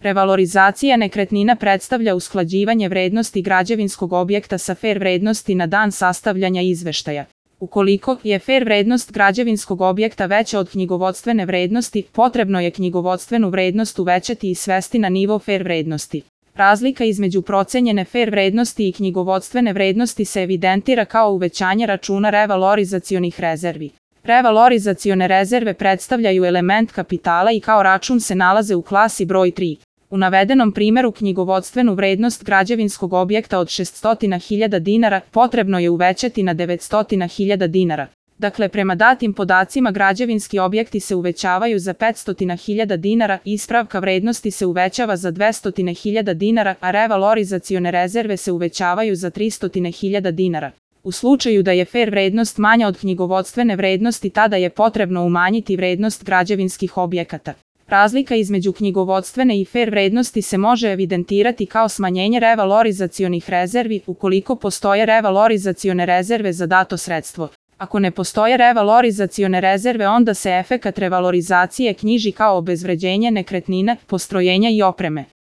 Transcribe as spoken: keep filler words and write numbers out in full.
Revalorizacija nekretnina predstavlja usklađivanje vrednosti građevinskog objekta sa fer vrednosti na dan sastavljanja izveštaja. Ukoliko je fer vrednost građevinskog objekta veća od knjigovodstvene vrednosti, potrebno je knjigovodstvenu vrednost uvećati i svesti na nivo fer vrednosti. Razlika između procenjene fer vrednosti i knjigovodstvene vrednosti se evidentira kao uvećanje računa revalorizacionih rezervi. Revalorizacione rezerve predstavljaju element kapitala i kao račun se nalaze u klasi broj tri. U navedenom primjeru knjigovodstvenu vrednost građevinskog objekta od šeststo hiljada dinara potrebno je uvećati na devetsto hiljada dinara. Dakle, prema datim podacima građevinski objekti se uvećavaju za petsto hiljada dinara, ispravka vrednosti se uvećava za dvesta hiljada dinara, a revalorizacione rezerve se uvećavaju za tristo hiljada dinara. U slučaju da je fer vrednost manja od knjigovodstvene vrednosti, tada je potrebno umanjiti vrednost građevinskih objekata. Razlika između knjigovodstvene i fer vrednosti se može evidentirati kao smanjenje revalorizacionih rezervi ukoliko postoje revalorizacione rezerve za dato sredstvo. Ako ne postoje revalorizacione rezerve, onda se efekat revalorizacije knjiži kao obezvređenje nekretnine, postrojenja i opreme.